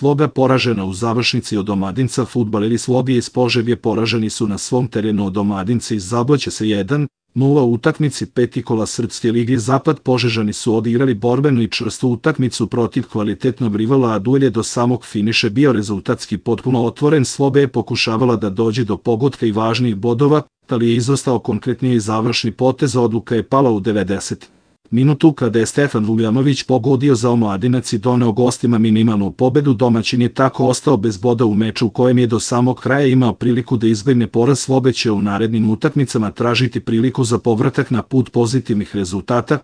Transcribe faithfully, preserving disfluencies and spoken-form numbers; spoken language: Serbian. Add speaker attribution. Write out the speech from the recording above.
Speaker 1: Sloga poražena u završnici od Omladinca. Fudbaleri Slogije iz Požege poraženi su na svom terenu od Omladinca iz Zabloća sa jedan nula u utakmici peti kola Srpske lige Zapad. Požežani su odigrali borbenu i čvrstu utakmicu protiv kvalitetnog rivala, a duel je do samog finiša bio rezultatski potpuno otvoren. Sloga je pokušavala da dođe do pogotka i važnijih bodova, ali je izostao konkretniji završni potez. Odluka je pala u devedesetom minutu kada je Stefan Vuljanović pogodio za Omladinac i doneo gostima minimalnu pobedu. Domaćin je tako ostao bez boda u meču u kojem je do samog kraja imao priliku da izbegne poraz. Sloga će u narednim utakmicama tražiti priliku za povratak na put pozitivnih rezultata,